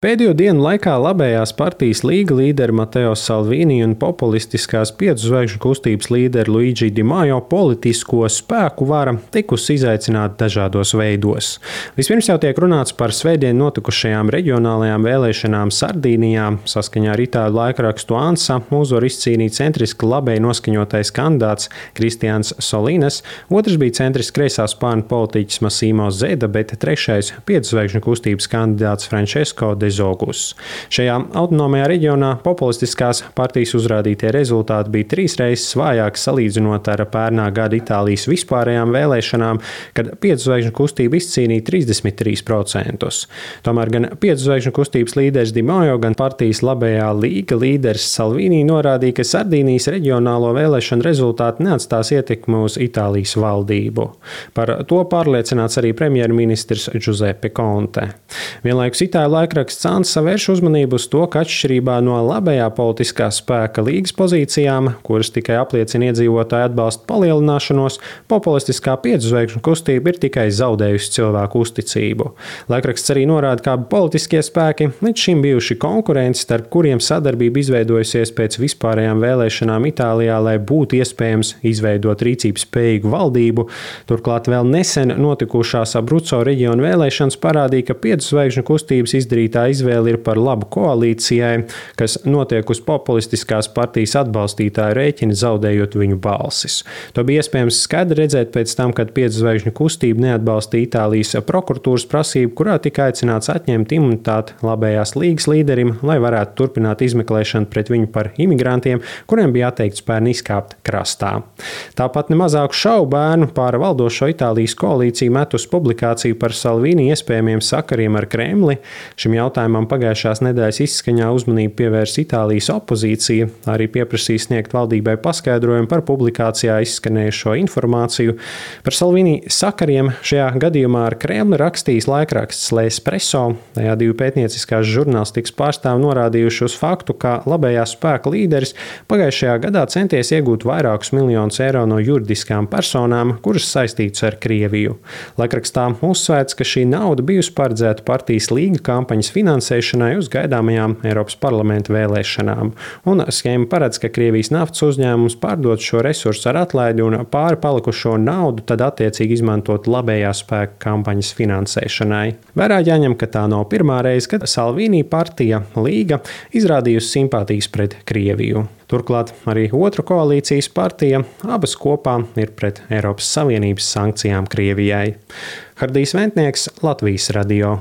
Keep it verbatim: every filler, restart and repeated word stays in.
Pēdējo dienu laikā labējās partijas Līga līderi Mateo Salvini un populistiskās piecu zvaigžņu kustības līderi Luigi Di Maio politisko spēku vara tikusi izaicināta dažādos veidos. Vispirms jau tiek runāts par svētdien notikušajām reģionālajām vēlēšanām Sardīnijā. Saskaņā ar itāļu laikrakstu ANSA uzvaru izcīnīja centriski labēji noskaņotais kandidāts Kristians Solīnes, otrs bija centriski kreisā spārna politiķis Massimo Zeda, bet trešais piecu zvaigžņu kustības kandidāts Francesco de Zogus. Šajā autonomajā reģionā populistiskās partijas uzrādītie rezultāti bija trīs reizes vājāki salīdzinot ar pērnā gada Itālijas vispārējām vēlēšanām, kad piecu zvaigžņu kustība izcīnīja trīsdesmit trīs procentus. Tomēr gan piecu zvaigžņu kustības līderis Di Maio, gan partijas labējā Līga līderis Salvini norādīja, ka Sardīnijas reģionālo vēlēšanu rezultāti neatstās ietekmi uz Itālijas valdību. Par to pārliecināts arī premjerministrs Giuseppe Conte. Vienlaikus itāļu laikraksts ANSA vērš uzmanību uz to, ka atšķirībā no labējā politiskā spēka Līgas pozīcijām, kuras tikai apliecina iedzīvotāju atbalsta palielināšanos, populistiskā piecu zvaigžņu kustība ir tikai zaudējusi cilvēku uzticību. Laikraksts arī norāda, ka politiskie spēki līdz šim bijuši konkurenti, starp kuriem sadarbība izveidojusies pēc vispārējām vēlēšanām Itālijā, lai būtu iespējams izveidot rīcības spējīgu valdību. Turklāt vēl nesen notikušās Abruzzo reģiona vēlēšanas parādīja, ka piecu zvaigžņu kustības izdarītā izvēle ir par labu koalīcijai, kas notiek uz populistiskās partijas atbalstītāju rēķina, zaudējot viņu balsis. To bija iespējams skaidri redzēt pēc tam, kad piecu zvaigžņu kustība neatbalstīja Itālijas prokuratūras prasību, kurā tika aicināts atņemt imunitāti labējās Līgas līderim, lai varētu turpināt izmeklēšanu pret viņu par imigrantiem, kuriem bija atteikts pērn izkāpt krastā. Tāpat nemazāku šaubu bērnu pār valdošo Itālijas koalīciju met uz publikāciju par Salvini iespējamiem sakariem ar Kremli. Šim jautājumam pagājušās nedēļas izskaņā uzmanību pievērs Itālijas opozīcija, arī pieprasīja sniegt valdībai paskaidrojumu par publikācijā izskanējušo informāciju. Par Salvini sakariem šajā gadījumā ar Kremli rakstījis laikraksts L'Espresso. Tajā divi pētnieciskās žurnālistikas pārstāvi norādījuši uz faktu, ka labējā spēka līderis pagājušajā gadā centies iegūt vairākus miljonus eiro no juridiskām personām, kuras saistītas ar Krieviju. Laikrakstā uzsvērts, ka šī nauda bijusi paredzēta partijas Līga kampaņas finansēšanai uz gaidāmajām Eiropas parlamenta vēlēšanām. Un schēma paredz, ka Krievijas naftas uzņēmums pārdot šo resursu ar atlaidi un pāri palikušo naudu tad attiecīgi izmantot labējā spēka kampaņas finansēšanai. Vērā jāņem, ka tā nav pirmā reize, kad Salvini partija Līga izrādījusi simpātijas pret Krieviju. Turklāt arī otra koalīcijas partija abas kopā ir pret Eiropas Savienības sankcijām Krievijai. Hardijs Ventnieks, Latvijas radio.